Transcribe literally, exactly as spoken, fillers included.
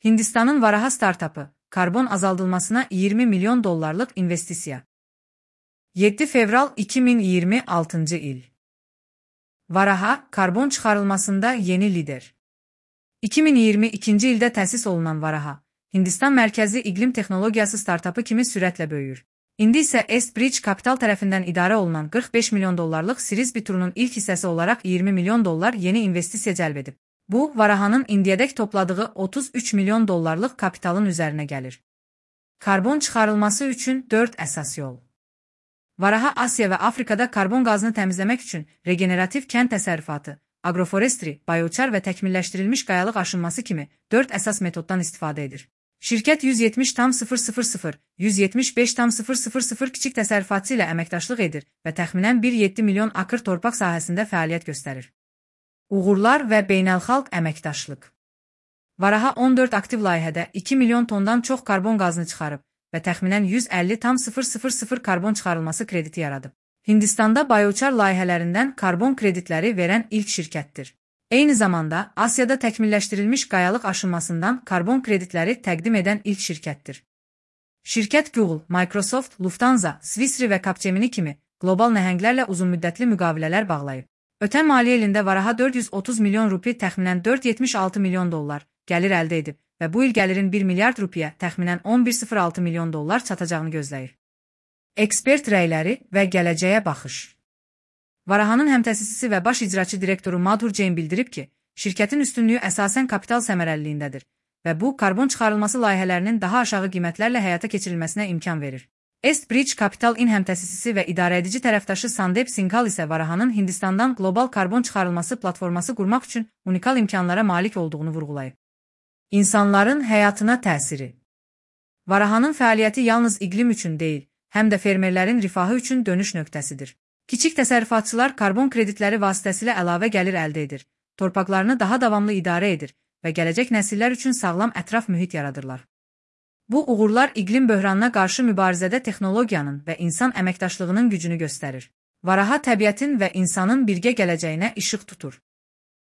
Hindistanın Varaha startapı, karbon azaldılmasına iyirmi milyon dollarlık investisiya. yeddi fevral iki min iyirmi altıncı il. Varaha, karbon çıxarılmasında yeni lider. iki min iyirmi ikinci ildə təsis olunan Varaha, Hindistan mərkəzli iqlim texnologiyası startapı kimi sürətlə böyüyür. İndi isə Estbridge Capital tərəfindən idarə olunan qırx beş milyon dollarlıq Series B-turunun ilk hissəsi olaraq iyirmi milyon dollar yeni investisiya cəlb edib. Bu, Varahanın indiyədək topladığı otuz üç milyon dollarlıq kapitalın üzərinə gəlir. Karbon çıxarılması üçün dörd əsas yol. Varaha Asiya və Afrikada karbon qazını təmizləmək üçün regenerativ kənd təsərrüfatı, agroforestry, bioçar və təkmilləşdirilmiş qayalıq aşınması kimi dörd əsas metoddan istifadə edir. Şirkət yüz yetmiş tam sıfır sıfır sıfır, yüz yetmiş beş tam sıfır sıfır sıfır kiçik təsərrüfatçı ilə əməkdaşlıq edir və təxminən bir nöqtə yeddi milyon akır torpaq sahəsində fəaliyyət göstərir. Uğurlar və beynəlxalq əməkdaşlıq. Varaha on dörd aktiv layihədə iki milyon tondan çox karbon qazını çıxarıb və təxminən yüz əlli tam sıfır sıfır sıfır karbon çıxarılması krediti yaradıb. Hindistanda bioçar layihələrindən karbon kreditləri verən ilk şirkətdir. Eyni zamanda Asiyada təkmilləşdirilmiş qayalıq aşınmasından karbon kreditləri təqdim edən ilk şirkətdir. Şirkət Google, Microsoft, Lufthansa, Swissre və Capgemini kimi qlobal nəhənglərlə uzunmüddətli müqavilələr bağlayıb. Ötən maliyyə ilində Varaha dörd yüz otuz milyon rupi təxminən dörd yüz yetmiş altı milyon dollar gəlir əldə edib və bu il gəlirin bir milyard rupiyə təxminən on bir nöqtə sıfır altı milyon dollar çatacağını gözləyir. Ekspert rəyləri və gələcəyə baxış. Varahanın həmtəsisisi və baş icraçı direktoru Madhur Jain bildirib ki, şirkətin üstünlüyü əsasən kapital səmərəliliyindədir və bu, karbon çıxarılması layihələrinin daha aşağı qiymətlərlə həyata keçirilməsinə imkan verir. Estbridge Capital-in həmtəsisisi və idarəedici tərəfdaşı Sandeep Singhal isə Varahanın Hindistandan qlobal karbon çıxarılması platforması qurmaq üçün unikal imkanlara malik olduğunu vurğulayıb. İnsanların həyatına təsiri. Varahanın fəaliyyəti yalnız iqlim üçün deyil, həm də fermerlərin rifahı üçün dönüş nöqtəsidir. Kiçik təsərrüfatçılar karbon kreditləri vasitəsilə əlavə gəlir əldə edir, torpaqlarını daha davamlı idarə edir və gələcək nəsillər üçün sağlam ətraf mühit yaradırlar. Bu uğurlar iqlim böhranına qarşı mübarizədə texnologiyanın və insan əməkdaşlığının gücünü göstərir. Varaha təbiətin və insanın birgə gələcəyinə işıq tutur.